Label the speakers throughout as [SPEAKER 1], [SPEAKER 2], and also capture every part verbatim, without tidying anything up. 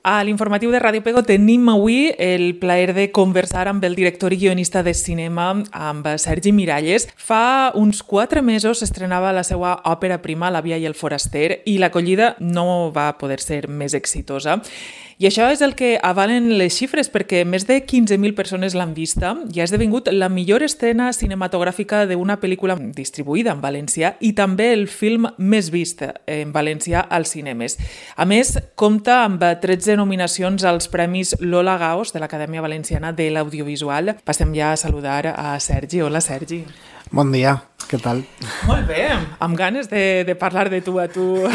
[SPEAKER 1] A l'informatiu de Ràdio Pego tenim avui el plaer de conversar amb el director i guionista de cinema, amb Sergi Miralles. Fa uns quatre mesos s'estrenava la seva òpera prima, La via i el foraster, i l'acollida no va poder ser més exitosa. I això és el que avalen les xifres, perquè més de quinze mil persones l'han vista i ha esdevingut la millor escena cinematogràfica d'una pel·lícula distribuïda en valencià i també el film més vist en valencià als cinemes. A més, compta amb tretze nominacions als Premis Lola Gaos de l'Acadèmia Valenciana de l'Audiovisual. Passem ja a saludar a Sergi. Hola, Sergi.
[SPEAKER 2] Bon dia, què tal?
[SPEAKER 1] Molt bé, amb ganes de, de parlar de tu a tu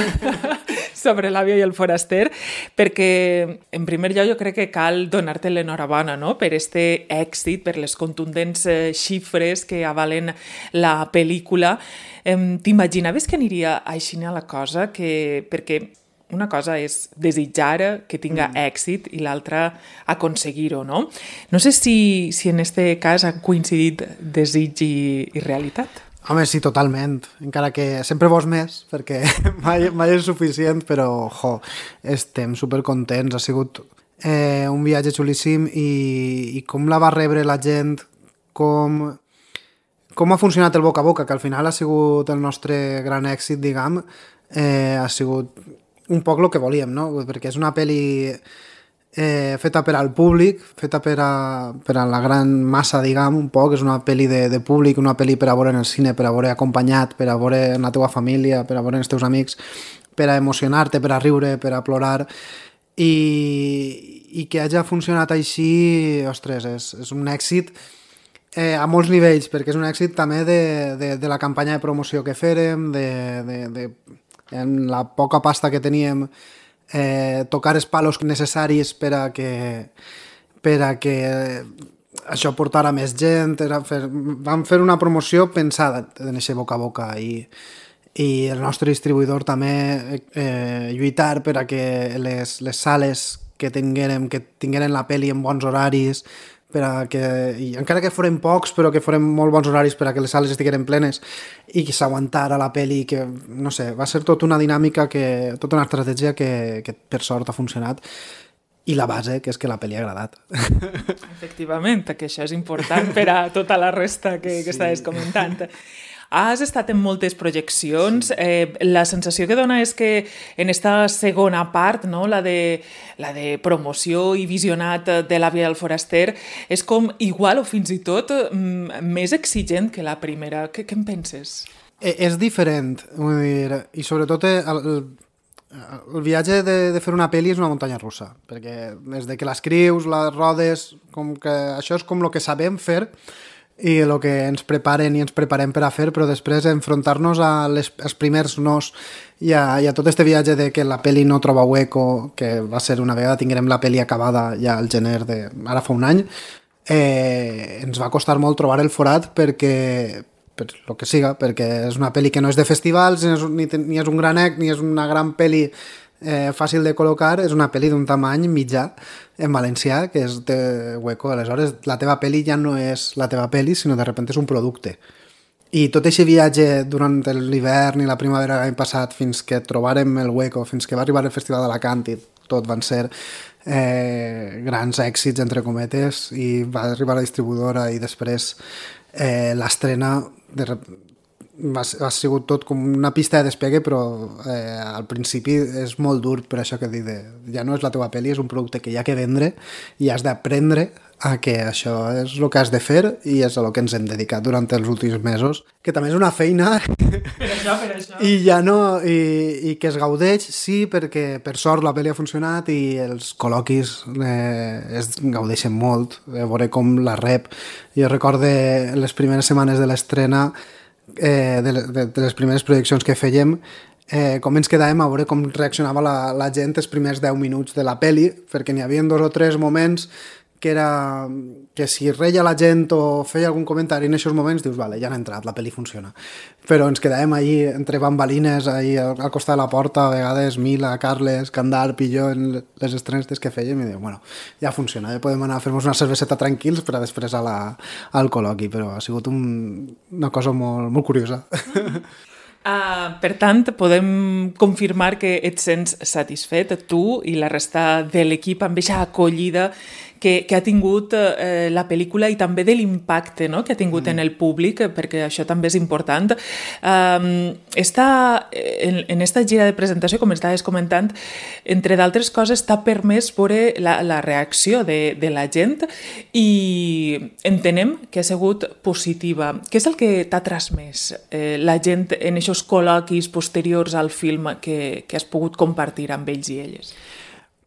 [SPEAKER 1] sobre La via i el foraster, perquè en primer lloc jo crec que cal donar-te l'enhorabona, no?, per este èxit, per les contundents xifres que avalen la pel·lícula. T'imaginaves que aniria així a la cosa? Que, perquè una cosa és desitjar que tinga mm. èxit i l'altra aconseguir-ho, no? No sé si, si en este cas han coincidit desig i, i realitat.
[SPEAKER 2] Home, sí, totalment. Encara que sempre vols més, perquè mai, mai és suficient, però, jo, estem supercontents. Ha sigut eh, un viatge xulíssim i, i com la va rebre la gent, com, com ha funcionat el boca a boca, que al final ha sigut el nostre gran èxit, diguem, eh, ha sigut un poc el que volíem, no? Perquè és una pel·li eh, feta per al públic, feta per a, per a la gran massa, diguem, un poc. És una pel·li de, de públic, una pel·li per a veure en el cine, per a veure acompanyat, per a veure en la teva família, per a veure en els teus amics, per a emocionar-te, per a riure, per a plorar. I, i que hagi funcionat així, ostres, és, és un èxit eh, a molts nivells, perquè és un èxit també de, de, de la campanya de promoció que fèrem, de... de, de en la poca pasta que teníem, eh, tocar els palos necessaris per a que, per a que això portara més gent. Era fer, vam fer una promoció pensada en aquest boca a boca i, i el nostre distribuïdor també eh, lluitar per a que les, les sales que tinguérem, que tingueren la pel·li en bons horaris, per a que, i encara que foren pocs, però que foren molt bons horaris per a que les sales estigueren plenes i que s'aguantara la pel·li, que, no sé, va ser tota una dinàmica, que, tota una estratègia que, que per sort ha funcionat. I la base, que és que la pel·li ha agradat.
[SPEAKER 1] Efectivament, que això és important per a tota la resta que, que sí. Estaves comentant. Has estat en moltes projeccions. Sí. Eh, la sensació que dona és que en esta segona part, no, la, de, la de promoció i visionat de La via del foraster, és com igual o fins i tot m- més exigent que la primera. Què, què en penses?
[SPEAKER 2] Eh, és diferent, vull dir, i sobretot el, el, el viatge de, de fer una pel·li és una muntanya russa, perquè des de que l'escrius, la rodes, com que això és com el que sabem fer, i el que ens preparen i ens preparem per a fer, però després enfrontar-nos a les, als primers nos i a, i a tot este viatge de que la pel·li no troba hueco, que va ser una vegada tinguem la pel·li acabada ja al gener de... ara fa un any, eh, ens va costar molt trobar el forat perquè, per lo que siga, perquè és una pel·li que no és de festivals, ni és, ni, ni és un gran ec, ni és una gran pel·li eh, fàcil de col·locar, és una pel·li d'un tamany mitjà en valencià, que és de hueco. Aleshores, la teva pel·li ja no és la teva pel·li, sinó de repente és un producte. I tot aquest viatge durant l'hivern i la primavera l'any passat, fins que trobarem el hueco, fins que va arribar el Festival d'Alacant i tot van ser eh, grans èxits, entre cometes, i va arribar la distribuïdora i després eh, l'estrena de Va, ha sigut tot com una pista de despegue, però eh, al principi és molt dur, per això que dic de, ja no és la teva pel·li, és un producte que hi ha que vendre i has d'aprendre a que això és el que has de fer i és el que ens hem dedicat durant els últims mesos, que també és una feina
[SPEAKER 1] per això, per això.
[SPEAKER 2] i ja no, i, i que es gaudeix, sí, perquè per sort la pel·li ha funcionat i els col·loquis eh, es gaudeixen molt, a veure com la rep. Jo recorde les primeres setmanes de l'estrena, Eh, de, de, de les primeres projeccions que fèiem, eh, com ens quedàvem a veure com reaccionava la, la gent els primers deu minuts de la peli, perquè n'hi havia dos o tres moments que era que si reia la gent o feia algun comentari en aquests moments, dius, vale, ja han entrat, la pel·li funciona. Però ens quedàvem allí entre bambalines, allí al, al costat de la porta, a vegades Mila, Carles, Candarp i jo en les estrenes que fèiem i diu, bueno, ja funciona, ja podem anar a fer-nos una cerveseta tranquils per a després a la, al col·loqui, però ha sigut un, una cosa molt, molt curiosa.
[SPEAKER 1] Uh, per tant, podem confirmar que et sents satisfet, tu i la resta de l'equip, amb aquesta acollida que, que ha tingut eh, la pel·lícula i també de l'impacte, no?, que ha tingut mm. en el públic, perquè això també és important. Um, està, en, en esta gira de presentació, com estaves comentant, entre d'altres coses, t'ha permès veure la, la reacció de, de la gent i entenem que ha sigut positiva. Què és el que t'ha transmès eh, la gent en aquests col·loquis posteriors al film que, que has pogut compartir amb ells i elles?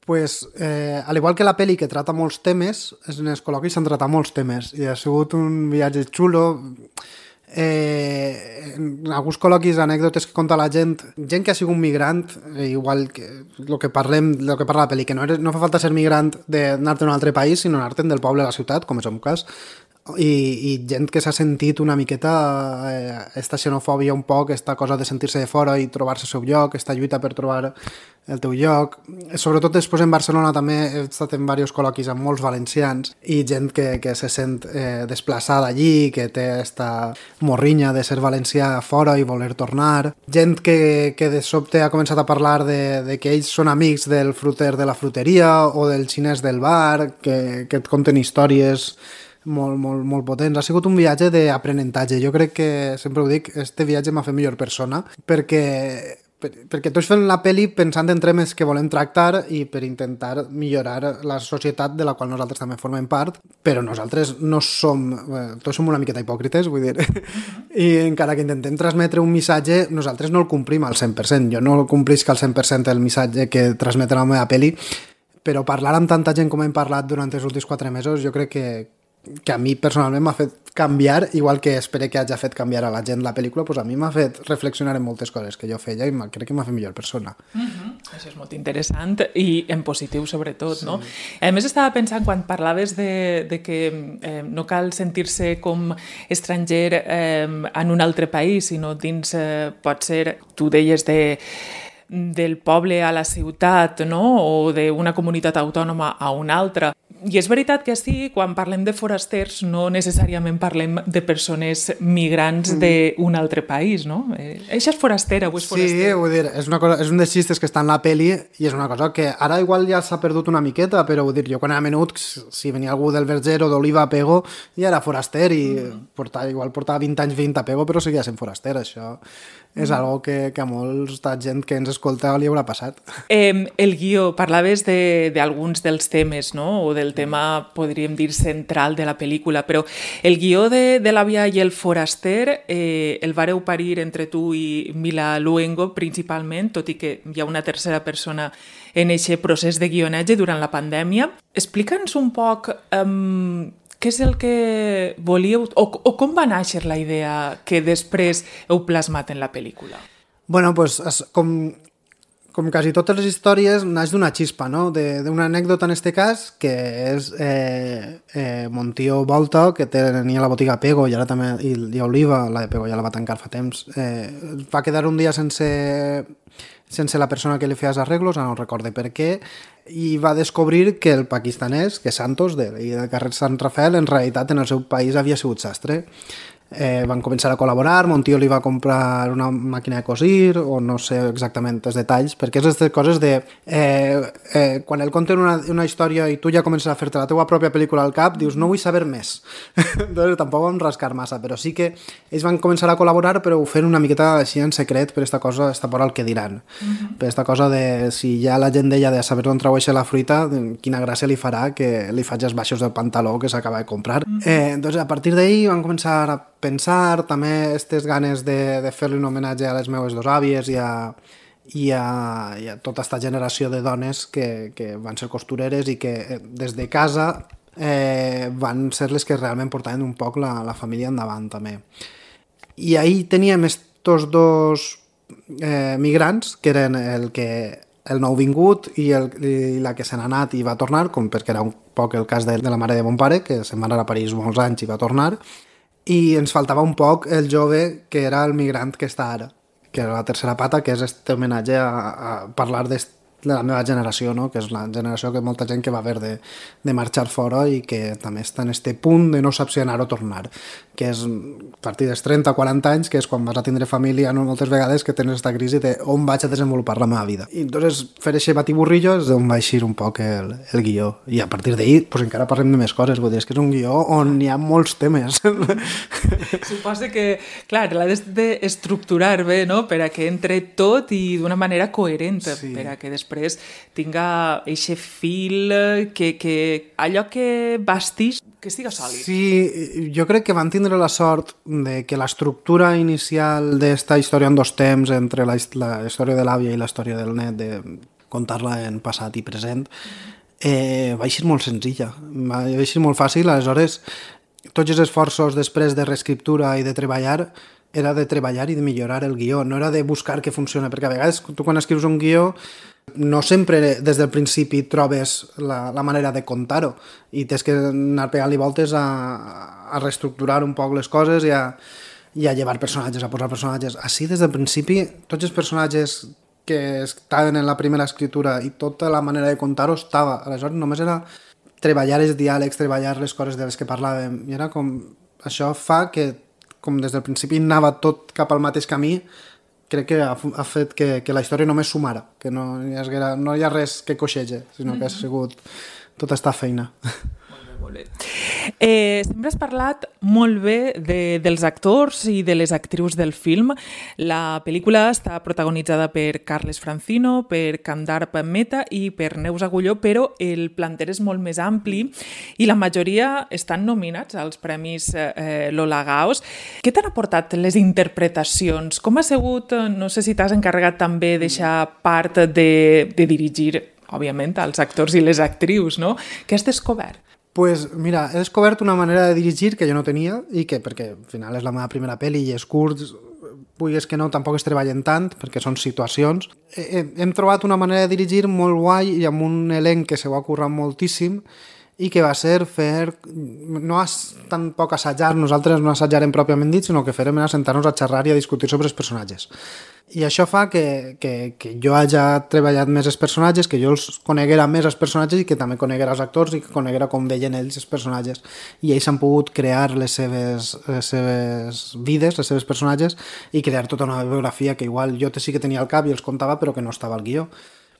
[SPEAKER 2] Pues, eh, al igual que la peli que trata molts temes, en els col·loquis s'han tratat molts temes i ha sigut un viatge xulo. Eh, en alguns col·loquis, anècdotes que conta la gent, gent que ha sigut migrant, eh, igual que el que parlem, el que parla la peli, que no, eres, no fa falta ser migrant d'anar-te a un altre país, sinó anar-te'n del poble a la ciutat, com és el meu cas, i, i gent que s'ha sentit una miqueta eh, esta xenofòbia un poc, esta cosa de sentir-se de fora i trobar-se el seu lloc, esta lluita per trobar el teu lloc. Sobretot després en Barcelona també he estat en diversos col·loquis amb molts valencians i gent que, que se sent eh, desplaçada allí, que té esta morrinya de ser valencià fora i voler tornar. Gent que, que de sobte ha començat a parlar de, de que ells són amics del fruter de la fruteria o del xinès del bar, que, que et conten històries molt, molt, molt potents. Ha sigut un viatge d'aprenentatge. Jo crec que, sempre ho dic, este viatge m'ha fet millor persona, perquè perquè tots fem la pel·li pensant en temes que volem tractar i per intentar millorar la societat de la qual nosaltres també formem part, però nosaltres no som, eh, tots som una miqueta hipòcrites, vull dir, i encara que intentem transmetre un missatge, nosaltres no el complim al cent per cent. Jo no complisc al cent per cent el missatge que transmete la meva pel·li, però parlar amb tanta gent com hem parlat durant els últims quatre mesos, jo crec que que a mi personalment m'ha fet canviar, igual que espero que hagi fet canviar a la gent la pel·lícula, doncs a mi m'ha fet reflexionar en moltes coses que jo feia i crec que m'ha fet millor persona.
[SPEAKER 1] Uh-huh. Això és molt interessant i en positiu sobretot, sí. No? A més estava pensant quan parlaves de, de que eh, no cal sentir-se com estranger eh, en un altre país, sinó dins, eh, pot ser, tu deies de del poble a la ciutat, no? O d'una comunitat autònoma a una altra. I és veritat que sí, quan parlem de forasters no necessàriament parlem de persones migrants mm. d'un altre país, no? Eh, això és forastera o és foraster?
[SPEAKER 2] Sí, vull dir, és, una cosa, és un dels xistes que està en la peli i és una cosa que ara igual ja s'ha perdut una miqueta, però vull dir, jo quan era menut, si venia algú del Verger o d'Oliva a Pego, ja era foraster i mm. portava, igual portava vint anys vint a Pego, però seguia sent foraster, això és mm. algo que, que a molta gent que ens escolta li haurà passat.
[SPEAKER 1] Eh, el guió, parlaves d'alguns de, dels temes, no? O del tema, podríem dir, central de la pel·lícula, però el guió de, de l'àvia i el foraster eh, el vareu parir entre tu i Mila Luengo principalment, tot i que hi ha una tercera persona en aquest procés de guionatge durant la pandèmia. Explica'ns un poc um, què és el que volíeu, o, o com va néixer la idea que després heu plasmat en la pel·lícula?
[SPEAKER 2] Bueno, doncs, com... Com quasi totes les històries, naix d'una xispa, no? D'una anècdota en este cas, que és eh, eh, mon tio Volta, que tenia la botiga Pego i ara també i, i Oliva, la de Pego ja la va tancar fa temps, eh, va quedar un dia sense, sense la persona que li feia els arreglos, no recorde per què, i va descobrir que el pakistanès, que Santos, de, de carrer Sant Rafael, en realitat en el seu país havia sigut sastre. Eh, van començar a col·laborar, mon tio li va comprar una màquina de cosir o no sé exactament els detalls, perquè és aquestes coses de eh, eh, quan el conten una, una història i tu ja comences a fer-te la teua pròpia pel·lícula al cap, dius no vull saber més. Entonces tampoc vam rascar massa, però sí que ells van començar a col·laborar, però ho fent una miqueta així en secret per esta cosa, esta por al que diran, uh-huh. per esta cosa de si ja la gent deia de saber on traueixa la fruita, quina gràcia li farà que li faig els baixos del pantaló que s'acaba de comprar. Uh-huh. eh, entonces a partir d'ahí van començar a pensar, també aquestes ganes de, de fer-li un homenatge a les meves dos àvies i a, i a, i a tota aquesta generació de dones que, que van ser costureres i que des de casa eh, van ser les que realment portaven un poc la, la família endavant també. I ahir teníem estos dos eh, migrants, que eren el que el nou vingut i, el, i la que se n'ha anat i va tornar, com perquè era un poc el cas de, de la mare de mon pare, que se'n va anar a París molts anys i va tornar, i ens faltava un poc el jove que era el migrant que està ara, que era la tercera pata, que és este homenatge a, a parlar de de la meva generació, no? Que és la generació que molta gent que va haver de, de marxar fora i que també està en este punt de no sap si anar o tornar, que és a partir dels trenta o quaranta anys, que és quan vas a tindre família, no? Moltes vegades que tens aquesta crisi de on vaig a desenvolupar la meva vida. I entonces fer aquest batiburrillo és d'on va eixir un poc el, el guió. I a partir d'ahir pues, encara parlem de més coses, vull dir, és que és un guió on hi ha molts temes.
[SPEAKER 1] Suposo que, clar, l'ha d'estructurar bé, no?, per a que entre tot i d'una manera coherent, sí. Per a que després tinga eixe fil, que, que allò que bastix, que estiga sòlid.
[SPEAKER 2] Sí, jo crec que van tindre la sort de que l'estructura inicial d'esta història en dos temps, entre la, la història de l'àvia i la història del net, de contar-la en passat i present, eh, va eixir molt senzilla, va eixir molt fàcil, aleshores tots els esforços després de reescriptura i de treballar era de treballar i de millorar el guió, no era de buscar que funciona, perquè a vegades tu quan escrius un guió no sempre des del principi trobes la, la manera de contar-ho i tens que anar pegant-li voltes a, a reestructurar un poc les coses i a, i a llevar personatges, a posar personatges. Així des del principi tots els personatges que estaven en la primera escritura i tota la manera de contar-ho estava, aleshores només era treballar els diàlegs, treballar les coses de les que parlàvem i era com, això fa que com des del principi anava tot cap al mateix camí, crec que ha, ha fet que, que la història només sumara, que no hi, ha, no hi ha res que coixege, sinó que ha sigut tota esta feina.
[SPEAKER 1] Molt bé. Eh, sempre has parlat molt bé de, dels actors i de les actrius del film. La pel·lícula està protagonitzada per Carles Francino, per Kandarp Mehta i per Neus Agulló, però el planter és molt més ampli i la majoria estan nominats als Premis eh, Lola Gaos. Què t'han aportat les interpretacions? Com ha sigut, no sé si t'has encarregat també deixar part de, de dirigir, òbviament, als actors i les actrius, no? Què has descobert?
[SPEAKER 2] Pues mira, he descobert una manera de dirigir que jo no tenia i que, perquè al final és la meva primera pel·li i és curts, vulguis que no, tampoc es treballen tant perquè són situacions. Hem trobat una manera de dirigir molt guai i amb un elenc que se ho ha currat moltíssim i que va ser fer, no tampoc assajar, nosaltres no assajarem pròpiament dit, sinó que farem anar a sentar-nos a xerrar i a discutir sobre els personatges. I això fa que, que, que jo hagi treballat més els personatges, que jo els coneguera més els personatges i que també coneguera els actors i que coneguera com veien ells els personatges. I ells han pogut crear les seves, les seves vides, les seves personatges i crear tota una biografia que igual jo sí que tenia al cap i els contava però que no estava al guió.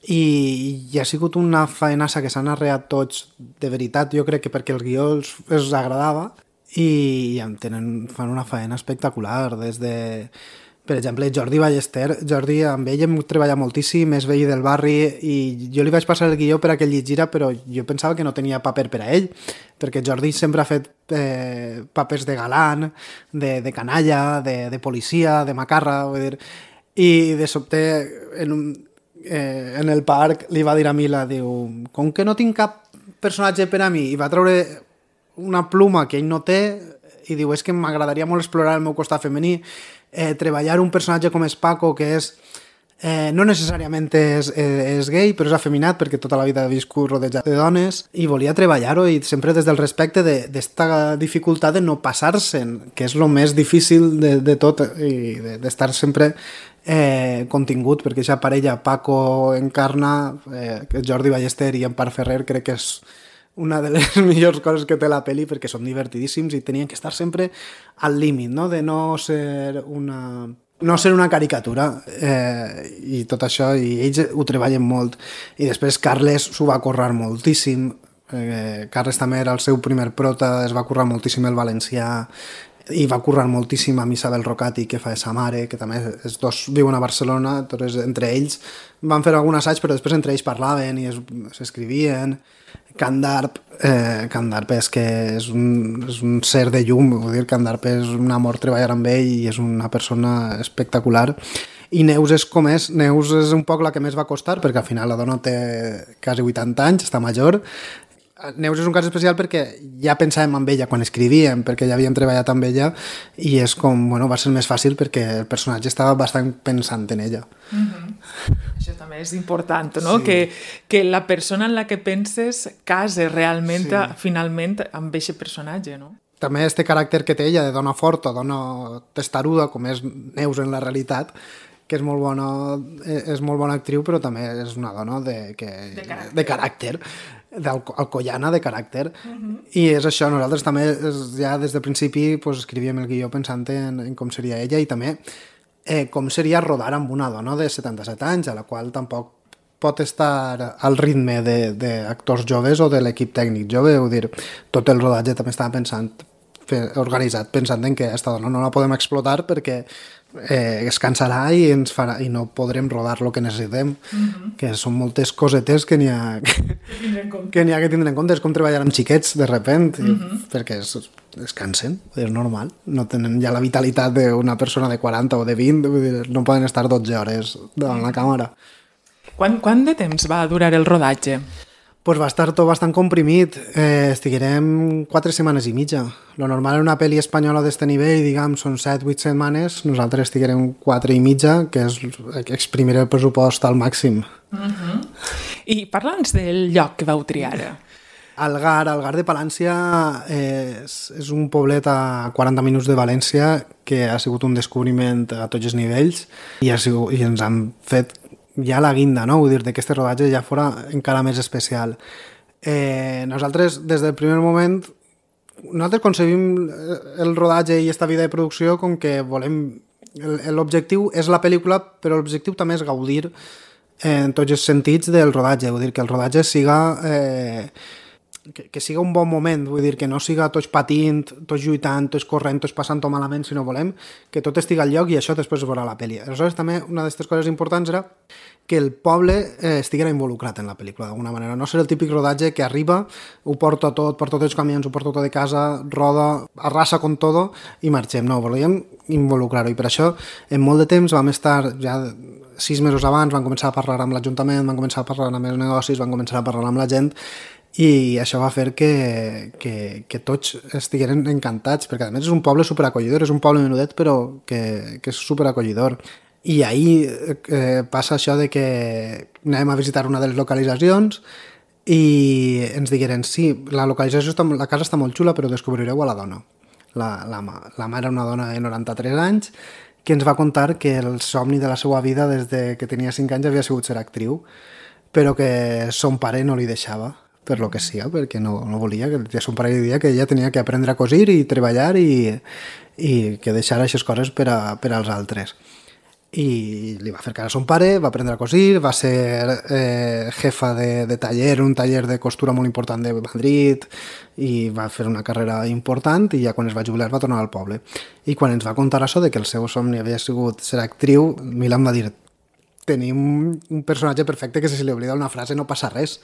[SPEAKER 2] I, i ha sigut una faenassa que s'han arreat tots de veritat, jo crec que perquè el guió els, els agradava i tenen, fan una faena espectacular des de... Per exemple, Jordi Ballester, Jordi amb ell hem treballat moltíssim, és veí del barri i jo li vaig passar el guió per a que ell llegira, però jo pensava que no tenia paper per a ell, perquè Jordi sempre ha fet eh, papers de galant, de, de canalla, de, de policia, de macarra, vull dir, i de sobte en, un, eh, en el parc li va dir a Mila, diu, com que no tinc cap personatge per a mi, i va treure una pluma que ell no té i diu, és que m'agradaria molt explorar el meu costat femení, Eh, treballar un personatge com és Paco, que és eh, no necessàriament és, és gay, però és afeminat perquè tota la vida ha viscut rodejat de dones i volia treballar-ho i sempre des del respecte d'esta de, dificultat de no passar-se'n, que és el més difícil de, de tot i d'estar de, sempre eh, contingut, perquè aquesta parella Paco encarna, eh, Jordi Ballester i Empar Ferrer, crec que és una de les millors coses que té la pel·li perquè són divertidíssims i tenien que estar sempre al límit, no? De no ser una, no ser una caricatura eh, i tot això, i ells ho treballen molt. I després Carles s'ho va currar moltíssim, eh, Carles també era el seu primer prota, es va currar moltíssim el valencià i va currar moltíssim amb Isabel Rocati, que fa de sa mare, que també els dos viuen a Barcelona, entonces entre ells van fer algun assaig, però després entre ells parlaven i s'escrivien. Kandarp, eh, Kandarp és que és un, és un ser de llum, vull dir, Kandarp és un amor treballar amb ell i és una persona espectacular. I Neus és com és, Neus és un poc la que més va costar, perquè al final la dona té quasi vuitanta anys, està major. Neus és un cas especial perquè ja pensàvem en ella quan escrivíem, perquè ja havíem treballat amb ella i és com, bueno, va ser més fàcil perquè el personatge estava bastant pensant en ella.
[SPEAKER 1] Mm-hmm. Això també és important, no? Sí. Que, que la persona en la que penses case realment, sí. Finalment, amb aquest personatge, no?
[SPEAKER 2] També este caràcter que té ella de dona forta, dona testaruda, com és Neus en la realitat, que és molt bona, és molt bona actriu, però també és una dona de, que,
[SPEAKER 1] de caràcter,
[SPEAKER 2] de caràcter d'alcoiana de caràcter. Uh-huh. I és això, nosaltres també ja des del principi pues, escrivíem el guió pensant en, en com seria ella i també eh, com seria rodar amb una dona de setanta-set anys, a la qual tampoc pot estar al ritme d'actors joves o de l'equip tècnic jove, vull dir, tot el rodatge també estava pensant, organitzat pensant en que aquesta dona no la podem explotar perquè eh, es cansarà i, ens farà, i no podrem rodar el que necessitem, mm-hmm. que són moltes cosetes que n'hi ha que, que n'hi ha que tindre en compte, és com treballar amb xiquets de repent, mm-hmm. perquè es, es cansen, és normal, no tenen ja la vitalitat d'una persona de quaranta o de vint, vull dir, no poden estar dotze hores davant la càmera.
[SPEAKER 1] Quant, quant de temps va durar el rodatge?
[SPEAKER 2] Pues va estar tot bastant comprimit. Eh, estiguerem quatre setmanes i mitja. Lo normal en una pel·li espanyola d'este nivell, diguem, són set vuit setmanes. Nosaltres estiguerem quatre i mitja, que és exprimir el pressupost al màxim.
[SPEAKER 1] Uh-huh. I parla'ns del lloc que vau triar.
[SPEAKER 2] Algar, Algar de Palància eh, és, és un poblet a quaranta minuts de València que ha sigut un descobriment a tots els nivells i, ha sigut, i ens han fet ja la guinda, no? Vull dir, que aquest rodatge ja fora encara més especial. Eh, nosaltres, des del primer moment, nosaltres concebim el rodatge i esta vida de producció com que volem... L'objectiu és la pel·lícula, però l'objectiu també és gaudir en tots els sentits del rodatge. Vull dir, que el rodatge siga... Eh, que, que siga un bon moment, vull dir, que no siga tots patint, tots lluitant, tots corrent, tots passant-ho malament, sinó volem que tot estigui al lloc i això després es veurà la pel·li. Aleshores, també una d'aquestes coses importants era que el poble eh, estiguera involucrat en la pel·lícula, d'alguna manera. No ser el típic rodatge que arriba, ho porta tot, porta tots els camions, ho porta tot de casa, roda, arrasa con todo i marxem. No, volíem involucrar-ho. I per això, en molt de temps vam estar ja sis mesos abans, van començar a parlar amb l'Ajuntament, van començar a parlar amb els negocis, van començar a parlar amb la gent i això va fer que, que, que tots estigueren encantats, perquè a més és un poble superacollidor, és un poble menudet però que, que és superacollidor. I ahir eh, passa això de que anem a visitar una de les localitzacions i ens digueren sí, la localització, està, la casa està molt xula però descobrireu a la dona. La, la, la mà era una dona de noranta-tres anys que ens va contar que el somni de la seva vida des de que tenia cinc anys havia sigut ser actriu, però que son pare no li deixava per lo que siga, perquè no, no volia, que son pare li dia que ella tenia que aprendre a cosir i treballar i, i que deixar aquestes coses per, a, per als altres. I li va fer cara a son pare, va aprendre a cosir, va ser eh, jefa de, de taller, un taller de costura molt important de Madrid i va fer una carrera important i ja quan es va jubilar va tornar al poble. I quan ens va contar això de que el seu somni havia sigut ser actriu, Milan va dir tenim un personatge perfecte que si li oblida una frase no passa res.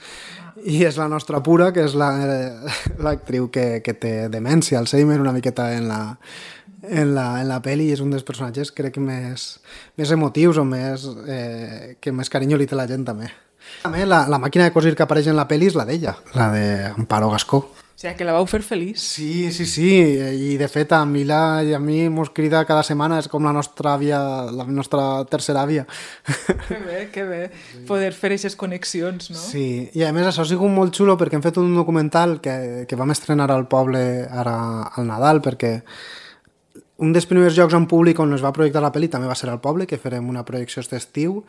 [SPEAKER 2] I és la nostra Pura, que és l'actriu la, que, que té demència, Alzheimer, una miqueta en la, en la, en la pel·li, i és un dels personatges crec que més, més emotius o més, eh, que més carinyo li té la gent també. També la, la màquina de cosir que apareix en la pel·li és la d'ella, la d'Amparo Gascó.
[SPEAKER 1] O sigui, que la vau fer feliç.
[SPEAKER 2] Sí, sí, sí, i de fet a Mila i a mi mos crida cada setmana, és com la nostra àvia, la nostra tercera àvia.
[SPEAKER 1] Que bé, que bé, poder fer aquestes connexions, no?
[SPEAKER 2] Sí, i a més això ha sigut molt xulo perquè hem fet un documental que, que vam estrenar al poble ara al Nadal, perquè un dels primers llocs en públic on es va projectar la pel·li també va ser al poble, que farem una projecció aquest estiu,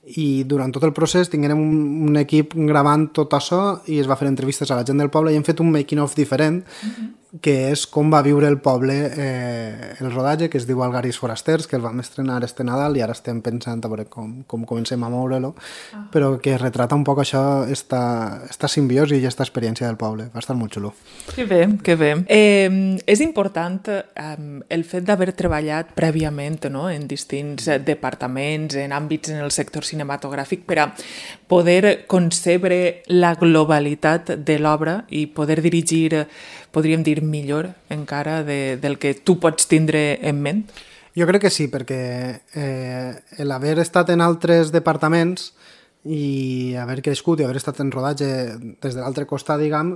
[SPEAKER 2] i durant tot el procés tinguérem un, un equip gravant tot això i es va fer entrevistes a la gent del poble i hem fet un making of diferent, mm-hmm. que és com va viure el poble eh, el rodatge, que es diu Algaris Forasters, que el vam estrenar este Nadal i ara estem pensant a veure com, com comencem a moure-lo, ah. però que retrata un poc això, esta, esta simbiosi i esta experiència del poble. Va estar molt xulo.
[SPEAKER 1] Que bé, que bé. Eh, és important eh, el fet d'haver treballat prèviament, no?, en distints departaments, en àmbits en el sector cinematogràfic, per a poder concebre la globalitat de l'obra i poder dirigir, podríem dir, millor encara de, del que tu pots tindre en ment?
[SPEAKER 2] Jo crec que sí, perquè eh, l'haver estat en altres departaments i haver crescut i haver estat en rodatge des de l'altre costat, diguem,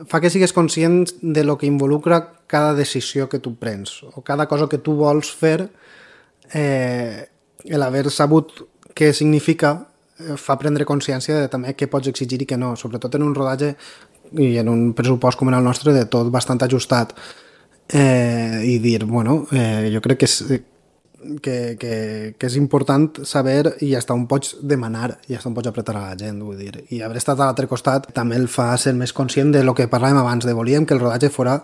[SPEAKER 2] fa que sigues conscient de lo que involucra cada decisió que tu prens o cada cosa que tu vols fer. Eh, l'haver sabut què significa fa prendre consciència de també què pots exigir i què no, sobretot en un rodatge i en un pressupost com el nostre de tot bastant ajustat, eh, i dir, bueno, eh, jo crec que és, que, que, que és important saber i hasta on pots demanar i hasta on pots apretar a la gent, vull dir. I haver estat a l'altre costat també el fa ser més conscient de lo que parlàvem abans, de volíem que el rodatge fora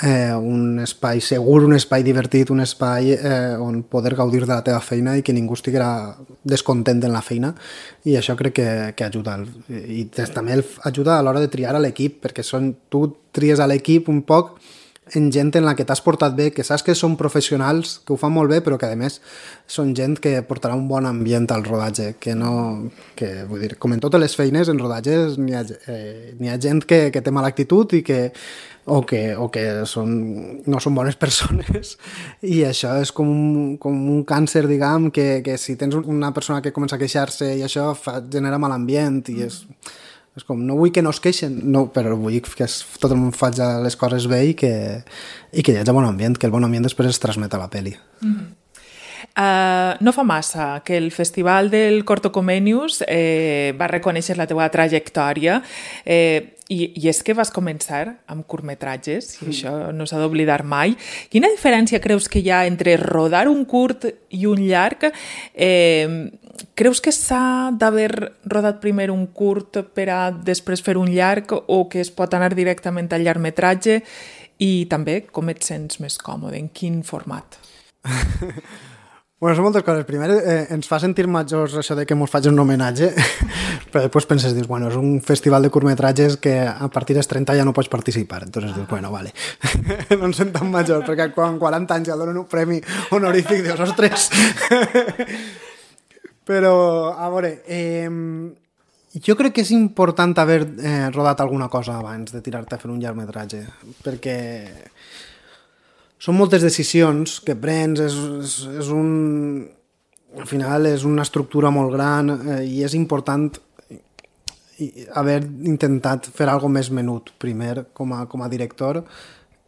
[SPEAKER 2] eh, un espai segur, un espai divertit, un espai eh, on poder gaudir de la teva feina i que ningú estiguera descontent en la feina, i això crec que, que ajuda. I també ajuda a l'hora de triar a l'equip, perquè són, tu tries a l'equip un poc en gent en la que t'has portat bé, que saps que són professionals, que ho fan molt bé, però que a més són gent que portarà un bon ambient al rodatge, que no... Que, vull dir, com en totes les feines, en rodatges n'hi ha, eh, n'hi ha gent que, que té mala actitud i que o que, o que són, no són bones persones, i això és com un, com un càncer, diguem, que, que si tens una persona que comença a queixar-se i això fa, genera mal ambient, i és... És com, no vull que no es queixen, no, però vull que es, tot el món faci les coses bé i que, i que hi hagi bon ambient, que el bon ambient després es transmet a la pel·li.
[SPEAKER 1] Mm-hmm. Uh, no fa massa que el Festival del Corto Comenius eh, va reconèixer la teva trajectòria, eh, i, i és que vas començar amb curtmetratges, i això no s'ha d'oblidar mai. Quina diferència creus que hi ha entre rodar un curt i un llarg? Eh, creus que s'ha d'haver rodat primer un curt per a després fer un llarg, o que es pot anar directament al llargmetratge? I també, com et sents més còmode? En quin format?
[SPEAKER 2] Bueno, són moltes coses. Primer, eh, ens fa sentir majors això de que ens faig un homenatge, però després penses, dius, bueno, és un festival de curtmetratges que a partir dels trenta ja no pots participar. Entonces dius, bueno, vale. No ens sent tan majors, perquè quan quaranta anys ja donen un premi honorífic, dius, ostres. Però, a veure, eh, jo crec que és important haver eh, rodat alguna cosa abans de tirar-te a fer un llargmetratge, perquè són moltes decisions que prens, és, és, és un... Al final és una estructura molt gran, eh, i és important haver intentat fer alguna més menut primer com a, com a director,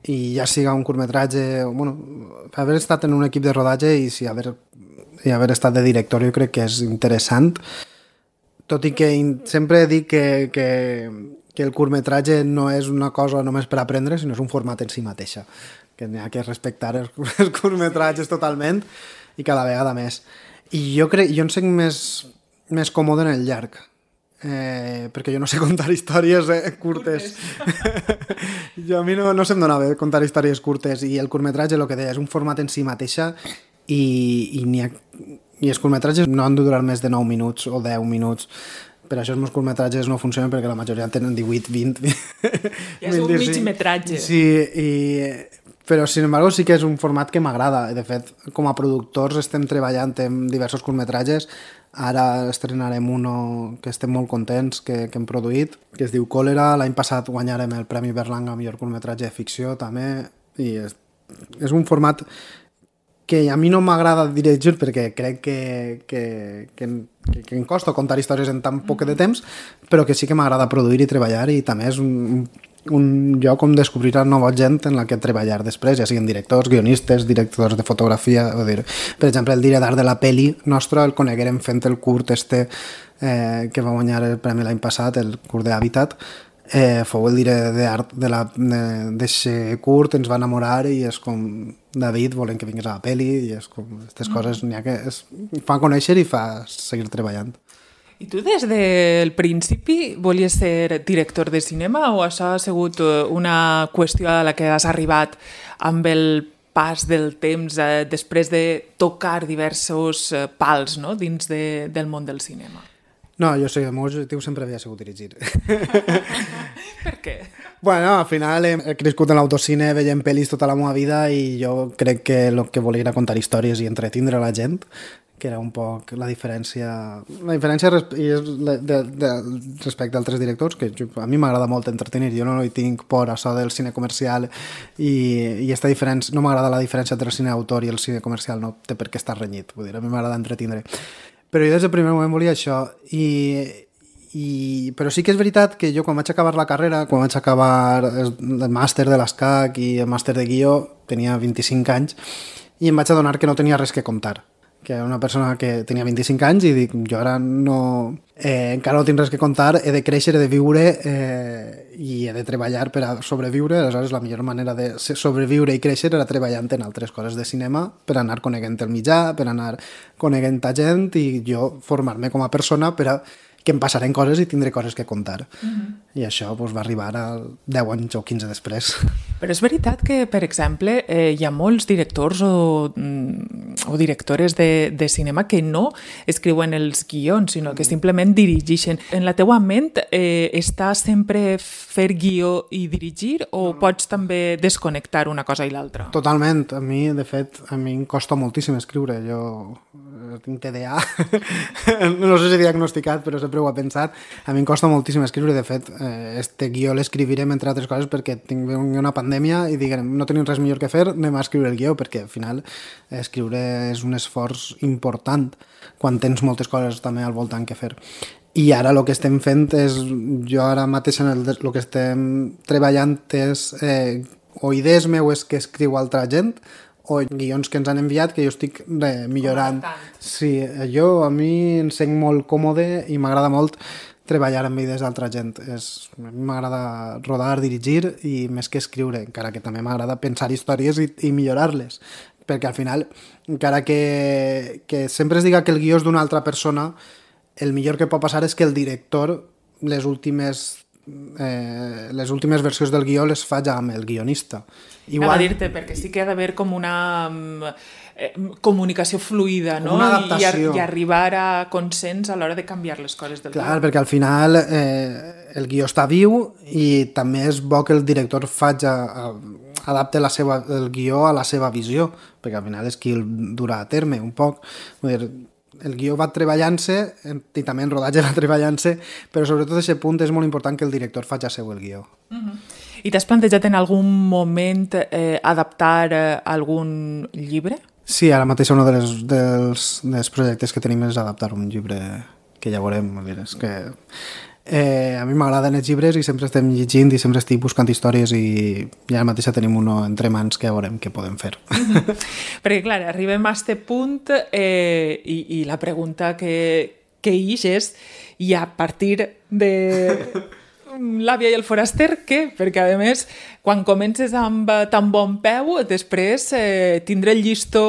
[SPEAKER 2] i ja siga un curtmetratge, bueno, haver estat en un equip de rodatge i, si haver, i haver estat de director jo crec que és interessant, tot i que in, sempre dic que, que, que el curtmetratge no és una cosa només per aprendre, sinó és un format en si mateixa, que n'hi ha que respectar els, els curtmetratges totalment i cada vegada més. I jo crec, jo em sent més, més còmode en el llarg, eh, perquè jo no sé contar històries eh, curtes. Jo, a mi no, no se'm dona bé contar històries curtes, i el curtmetratge, el que deia, és un format en si mateixa, i, i, ha, i els curtmetratges no han de durar més de nou minuts o deu minuts. Per això els meus curtmetratges no funcionen, perquè la majoria tenen divuit, vint...
[SPEAKER 1] Ja és un mig metratge.
[SPEAKER 2] Sí, i... Però, sin embargo, sí que és un format que m'agrada. De fet, com a productors estem treballant en diversos curtmetratges. Ara estrenarem uno que estem molt contents, que, que hem produït, que es diu Còlera. L'any passat guanyarem el Premi Berlanga a millor curtmetratge de ficció, també. I és, és un format que a mi no m'agrada dirigir, perquè crec que, que, que, que, que em costa contar històries en tan poc de temps, però que sí que m'agrada produir i treballar, i també és un... un lloc on descobrir nova gent en la que treballar després, ja siguin directors, guionistes, directors de fotografia, o dir, per exemple, el director de la peli nostra el coneguerem fent el curt este eh, que va guanyar el premi l'any passat, el curt d'Habitat, eh, fou el director d'art de d'aquest curt, ens va enamorar, i és com, David, volem que vinguis a la peli, i és com, aquestes coses n'hi ha que es fa conèixer i fa seguir treballant.
[SPEAKER 1] I tu des del principi volies ser director de cinema, o això ha sigut una qüestió a la que has arribat amb el pas del temps, eh, després de tocar diversos eh, pals, no?, dins de, del món del cinema?
[SPEAKER 2] No, jo sé, el meu objectiu sempre havia sigut dirigir.
[SPEAKER 1] Per què?
[SPEAKER 2] Bueno, al final he crescut en l'autocine, veient pel·lis tota la meva vida, i jo crec que el que volia era contar històries i entretindre la gent, que era un poc la diferència la diferència res, i és de, de, de, respecte a altres directors, que jo, a mi m'agrada molt entretenir, jo no hi tinc por a això del cine comercial, i, i esta diferència, no m'agrada la diferència entre el cine d'autor i el cine comercial, no té per què estar renyit, vull dir, a mi m'agrada entretindre, però jo des del primer moment volia això, i, i, però sí que és veritat que jo quan vaig acabar la carrera, quan vaig acabar el, el màster de l'ESCAC i el màster de guió, tenia vint-i-cinc anys, i em vaig adonar que no tenia res que contar, que era una persona que tenia vint-i-cinc anys i dic, jo ara no... Eh, encara no tinc res que contar, he de créixer, he de viure eh, i he de treballar per a sobreviure, aleshores la millor manera de sobreviure i créixer era treballant en altres coses de cinema per anar coneguent el mitjà, per anar coneguent a gent i jo formar-me com a persona per a que em passaren coses i tindré coses que contar. Mm-hmm. I això doncs, va arribar a deu anys o quinze després.
[SPEAKER 1] Però és veritat que, per exemple, eh, hi ha molts directors o, o directores de, de cinema que no escriuen els guions, sinó que simplement dirigeixen. En la teua ment eh, està sempre fer guió i dirigir o pots també desconnectar una cosa i l'altra?
[SPEAKER 2] Totalment. A mi, de fet, a mi em costa moltíssim escriure. Jo tinc T D A, no sé si diagnosticat, però sempre ho he pensat. A mi em costa moltíssim escriure, de fet, eh, este guió l'escrivirem, entre altres coses, perquè tinc una pandèmia i diguem, no tenim res millor que fer, anem a escriure el guió, perquè al final escriure és un esforç important quan tens moltes coses també al voltant que fer. I ara el que estem fent és, jo ara mateix en el, el que estem treballant és eh, o idees meues que escriu altra gent, o guions que ens han enviat que jo estic eh, millorant. Sí, jo a mi em sent molt còmode i m'agrada molt treballar amb idees d'altra gent. És, a mi m'agrada rodar, dirigir i més que escriure, encara que també m'agrada pensar històries i, i millorar-les. Perquè al final, encara que, que sempre es diga que el guió és d'una altra persona, el millor que pot passar és que el director les últimes Eh, les últimes versions del guió les fa ja amb el guionista.
[SPEAKER 1] Igual... Anava a dir-te, perquè sí que ha d'haver com una eh, comunicació fluida, no?
[SPEAKER 2] Una adaptació.
[SPEAKER 1] I, i arribar a consens a l'hora de canviar les coses del
[SPEAKER 2] Clar,
[SPEAKER 1] guió.
[SPEAKER 2] Perquè al final eh, el guió està viu i també és bo que el director faci a, adapte la seva, el guió a la seva visió, perquè al final és qui el durà a terme un poc. Vull dir, el guió va treballant-se i també en rodatge va treballant-se, però sobretot a aquest punt és molt important que el director faci seu el guió.
[SPEAKER 1] Uh-huh. I t'has plantejat en algun moment eh, adaptar eh, algun llibre?
[SPEAKER 2] Sí, ara mateix un dels, dels, dels projectes que tenim és adaptar un llibre que ja veurem. Dir, és que eh, a mi m'agraden els llibres i sempre estem llegint i sempre estic buscant històries i, i ara mateix tenim uno entre mans que ja veurem què podem fer.
[SPEAKER 1] Perquè, clar, arribem a este punt eh, i, i la pregunta que, que ix és i a partir de l'àvia i el foraster, què? Perquè, a més, quan comences amb tan bon peu, després eh, tindre el llistó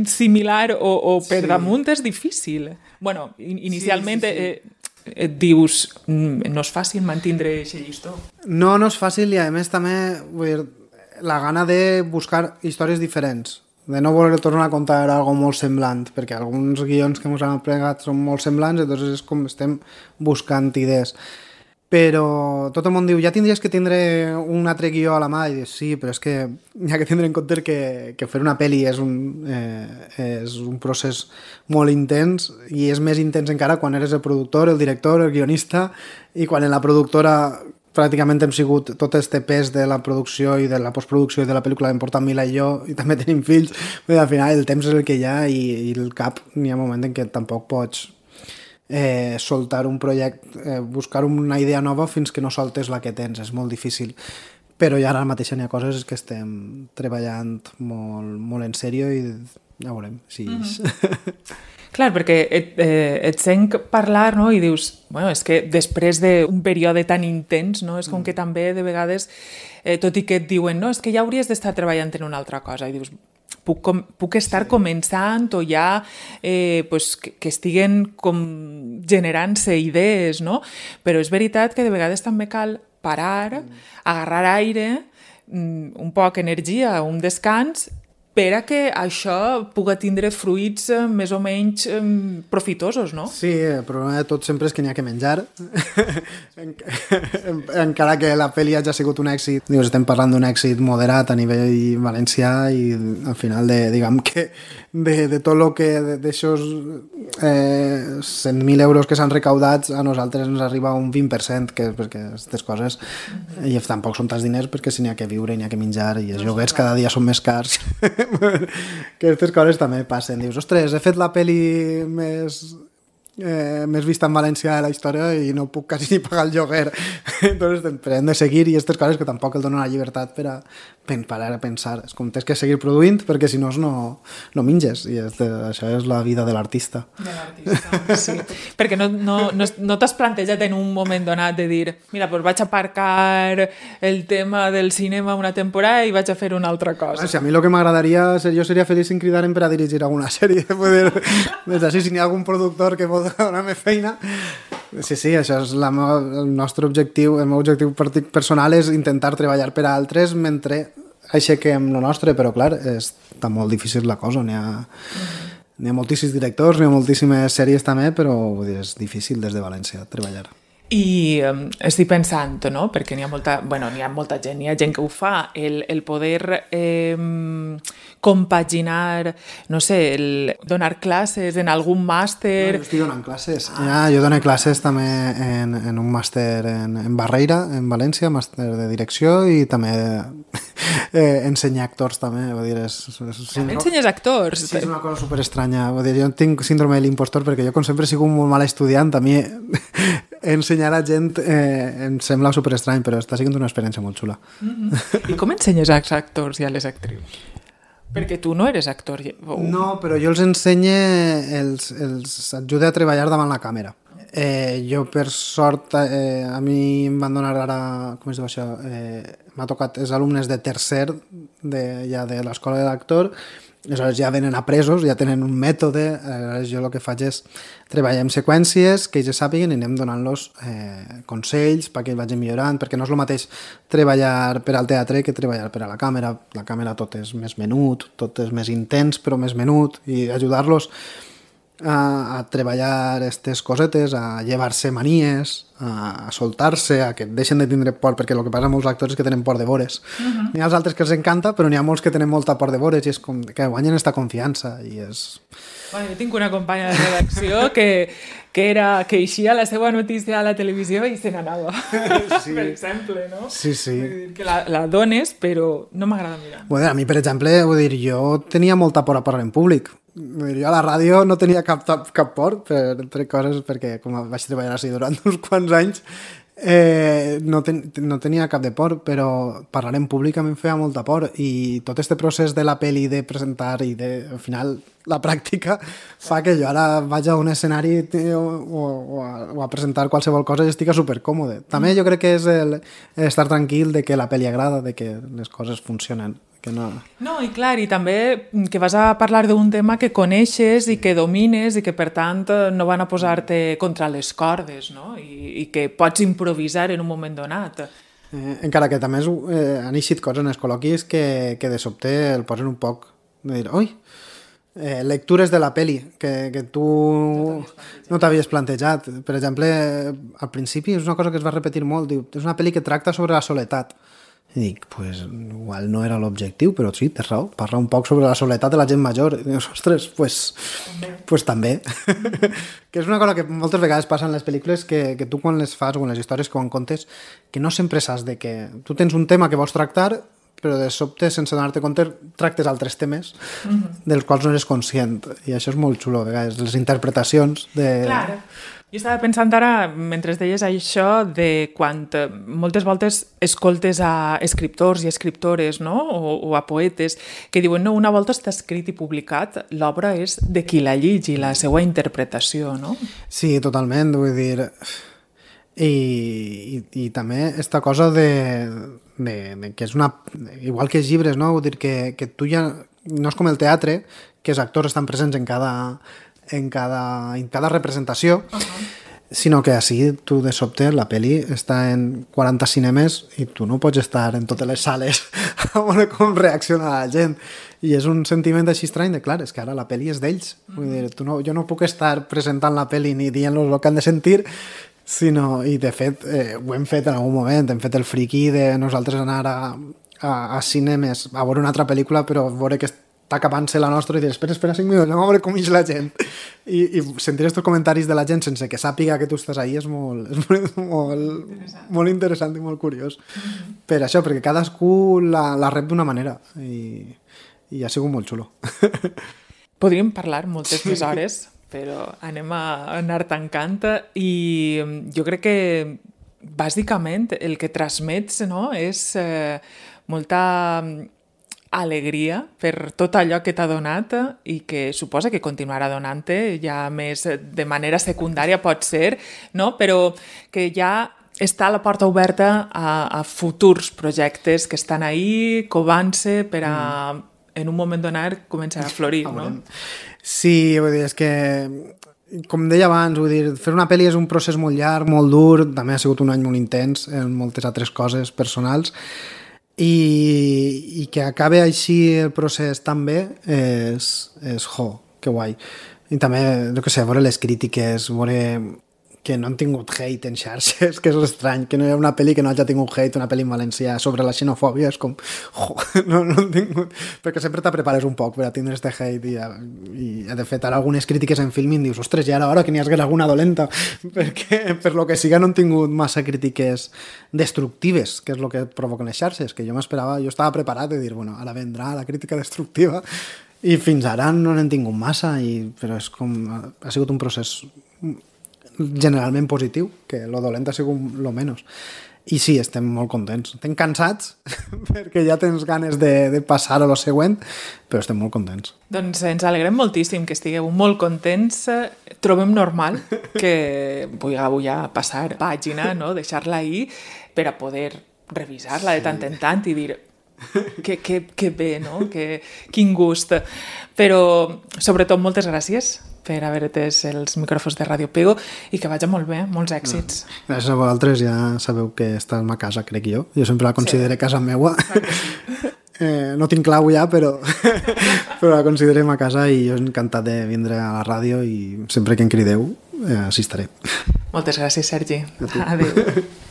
[SPEAKER 1] similar o, o per sí. damunt és difícil. Bueno, inicialment... Sí, sí, sí. Eh, et dius, no és fàcil mantindre aquest llistó.
[SPEAKER 2] No, no és fàcil i a més també vull dir, la gana de buscar històries diferents, de no voler tornar a contar algo molt semblant, perquè alguns guions que ens han plegat són molt semblants, llavors és com estem buscant idees. Però tot el món diu, ja tindries que tindre un altre guió a la mà, i dius, sí, però és que hi ha que tindre en compte que, que fer una pel·li és un, eh, és un procés molt intens, i és més intens encara quan eres el productor, el director, el guionista, i quan en la productora pràcticament hem sigut tot este pes de la producció i de la postproducció i de la pel·lícula l'hem portat Mila i jo, i també tenim fills, i al final el temps és el que hi ha, i, i el cap n'hi ha un moment en què tampoc pots Eh, soltar un projecte, eh, buscar una idea nova fins que no soltes la que tens, és molt difícil, però ja ara mateix n'hi ha coses que estem treballant molt, molt en sèrio i ja veurem si
[SPEAKER 1] mm-hmm. Clar, perquè et, eh, et sent parlar, no? I dius, bueno, és que després d'un període tan intens, no? És com que també de vegades, eh, tot i que et diuen, no, és que ja hauries d'estar treballant en una altra cosa, i dius, Puc, com, puc estar començant o ja eh, pues, que, que estiguen com generant-se idees, no? Però és veritat que de vegades també cal parar, agarrar aire, un poc energia, un descans, per a que això pugui tindre fruits eh, més o menys eh, profitosos, no?
[SPEAKER 2] Sí, el problema de tot sempre és que n'hi ha que menjar. Encara que la pel·li hagi sigut un èxit, dius, estem parlant d'un èxit moderat a nivell valencià i al final de, diguem que de, de tot el que d'aixòs eh, cent mil euros que s'han recaudat a nosaltres ens arriba un vint per cent, que, perquè aquestes coses mm-hmm. i tampoc són tants diners perquè si n'hi ha que viure, n'hi ha que menjar i els lloguers cada dia són més cars. Que aquestes coses també passen. Dius, ostres, he fet la pel·li més eh, més vista en València de la història i no puc quasi ni pagar el lloguer. Entonces, però hem de seguir i aquestes coses que tampoc el donen la llibertat per a, per a pensar. És com tens que seguir produint perquè si no no, no minges i és de, això és la vida de l'artista.
[SPEAKER 1] De l'artista, sí. Perquè no, no, no, no t'has plantejat en un moment donat de dir mira, doncs vaig aparcar el tema del cinema una temporada i vaig a fer una altra cosa.
[SPEAKER 2] Si a mi el que m'agradaria ser, jo seria feliç si em cridaren per a dirigir alguna sèrie. Poder, des d'ací, si n'hi ha algun productor que vol donar-me feina. Sí, sí, això és la meva, el nostre objectiu, el meu objectiu personal és intentar treballar per a altres mentre aixequem el nostre, però clar, està molt difícil la cosa, n'hi ha, n'hi ha moltíssims directors, n'hi ha moltíssimes sèries també, però vull dir, és difícil des de València treballar.
[SPEAKER 1] I um, estic pensant, no? Perquè n'hi ha molta, bueno, n'hi ha molta gent, n'hi ha gent que ho fa, el, el poder eh, compaginar, no sé, el donar classes en algun màster...
[SPEAKER 2] No, jo estic donant classes. Ah. Ja, jo dono classes també en, en un màster en, en Barreira, en València, màster de direcció, i també eh, ensenyar actors també. Vull dir, és, és,
[SPEAKER 1] també ensenyes actors?
[SPEAKER 2] Sí, és una cosa superestranya. Vull dir, jo tinc síndrome de l'impostor perquè jo, com sempre, he sigut un molt mal estudiant. A mi ensenyar a gent eh, em sembla superestrany, però està sent una experiència molt xula.
[SPEAKER 1] Mm-hmm. I com ensenyes als actors i a les actrius? Perquè tu no eres actor. O...
[SPEAKER 2] No, però jo els ensenye, els, els ajude a treballar davant la càmera. Eh, jo, per sort, eh, a mi em van donar ara, com es diu això, eh, m'ha tocat els alumnes de tercer de, ja de l'escola de l'actor, aleshores ja venen apresos, ja tenen un mètode, aleshores jo el que faig és treballar en seqüències, que ells sàpiguen i anem donant-los eh, consells perquè ells vagin millorant, perquè no és el mateix treballar per al teatre que treballar per a la càmera. La càmera tot és més menut, tot és més intens però més menut, i ajudar-los a, a treballar aquestes cosetes, a llevar-se manies, a, a soltar-se, a que deixen de tindre por, perquè el que passa amb molts actors és que tenen por de vores. Uh-huh. N'hi ha els altres que els encanta, però n'hi ha molts que tenen molta por de vores i és com que guanyen esta confiança i és...
[SPEAKER 1] Bueno, jo tinc una companya de redacció que, que, era, que eixia la seva notícia a la televisió i se n'anava, sí. Per exemple, no?
[SPEAKER 2] Sí, sí.
[SPEAKER 1] Vull dir que la, la dones, però no m'agrada mirar.
[SPEAKER 2] Bueno, a mi, per exemple, vull dir, jo tenia molta por a parlar en públic. Vull dir, jo a la ràdio no tenia cap, cap por per, per coses, perquè com vaig treballar així durant uns quants anys, Eh, no, ten, no tenia cap de por, però parlar en públic a mi em feia molta por, i tot este procés de la pel·li, de presentar i de, al final la pràctica fa que jo ara vaig a un escenari o, o, o, a, o a presentar qualsevol cosa i estic supercòmode. També jo crec que és el, el estar tranquil de que la pel·li agrada, de que les coses funcionen. Que no...
[SPEAKER 1] no, i clar, i també que vas a parlar d'un tema que coneixes i que domines i que per tant no van a posar-te contra les cordes, no? I, i que pots improvisar en un moment donat.
[SPEAKER 2] Eh, encara que també eh, han eixit coses en els col·loquis que, que de sobte el posen un poc de dir, oi, eh, lectures de la peli que, que tu no t'havies plantejat. Per exemple, al principi és una cosa que es va repetir molt, diu, és una peli que tracta sobre la soledat. I dic, pues, igual no era l'objectiu, però sí, tens raó, parla un poc sobre la soledat de la gent major. I dius, ostres, pues, pues també. Que és una cosa que moltes vegades passa en les pel·lícules, que, que tu quan les fas o en les històries que quan contes, que no sempre saps de què... Tu tens un tema que vols tractar, però de sobte, sense donar-te compte, tractes altres temes mm-hmm. dels quals no eres conscient. I això és molt xulo, a vegades, les interpretacions de...
[SPEAKER 1] Clar. Jo estava pensant ara, mentre deies això, de quan moltes voltes escoltes a escriptors i escriptores, no? o, o a poetes, que diuen, no, una volta està escrit i publicat, l'obra és de qui la lligi, la seva interpretació, no?
[SPEAKER 2] Sí, totalment, vull dir... I, i, i també esta cosa de, de, de que és una... Igual que els llibres, no? Vull dir que, que tu ja... No és com el teatre, que els actors estan presents en cada... en cada, en cada representació, uh-huh. sinó que així tu de sobte la peli està en quaranta cinemes i tu no pots estar en totes les sales a veure com reacciona la gent, i és un sentiment així estrany de, clar, és que ara la peli és d'ells. Uh-huh. Vull dir, tu no, jo no puc estar presentant la peli ni dient-los el que han de sentir, sinó, i de fet eh, ho hem fet en algun moment, hem fet el friqui de nosaltres anar a, a, a cinemes a veure una altra pel·lícula, però veure que està acabant-se la nostra i dir, espera, espera cinc minuts, anem a veure com ix la gent. I, i sentir aquests comentaris de la gent sense que sàpiga que tu estàs ahí és molt, és molt, molt, interessant. molt interessant i molt curiós. Mm-hmm. Per això, perquè cadascú la, la rep d'una manera i, i ha sigut molt xulo.
[SPEAKER 1] Podríem parlar moltes sí. més hores, però anem a anar tancant i jo crec que bàsicament el que transmets, no, és eh, molta alegria per tot allò que t'ha donat i que suposa que continuarà donant-te ja més de manera secundària pot ser, no? Però que ja està la porta oberta a, a futurs projectes que estan ahí, covant-se per a, mm. en un moment donat, començar a florir, no?
[SPEAKER 2] Sí, vull dir, és que com deia abans, vull dir, fer una pel·li és un procés molt llarg, molt dur, també ha sigut un any molt intens en moltes altres coses personals, i, i que acabe així el procés tan bé és, és jo, que guai. I també, no sé, veure les crítiques, veure que no han tingut hate en xarxes, que és estrany, que no hi ha una pel·li que no hagi tingut hate, una pel·li en valencià sobre la xenofòbia, és com, jo, no, no han tingut... Perquè sempre te prepares un poc per a tindre este hate i, i de fet, ara algunes crítiques en Filmin dius, ostres, ja era hora que n'hi hagués alguna dolenta, perquè per lo que siga no han tingut massa crítiques destructives, que és el que provoquen les xarxes, que jo m'esperava, jo estava preparat de dir, bueno, ara vendrà la crítica destructiva, i fins ara no n'han tingut massa, i, però és com, ha sigut un procés generalment positiu, que lo dolent ha sigut lo menys. I sí, estem molt contents. Estem cansats perquè ja tens ganes de, de passar a lo següent, però estem molt contents.
[SPEAKER 1] Doncs ens alegrem moltíssim que estigueu molt contents. Trobem normal que vulgueu ja passar pàgina, no? Deixar-la ahir per a poder revisar-la de tant en tant i dir que, que, que bé, no? Que, quin gust. Però, sobretot, moltes gràcies per haver atès els micròfons de Ràdio Pego i que vagi molt bé, molts èxits.
[SPEAKER 2] No. Gràcies a vosaltres, ja sabeu que esta és ma casa, crec jo. Jo sempre la considero sí. Casa meua. Eh, no tinc clau ja, però, però la considerem a casa i jo encantat de vindre a la ràdio i sempre que em crideu eh, assistiré.
[SPEAKER 1] Moltes gràcies, Sergi. Adéu.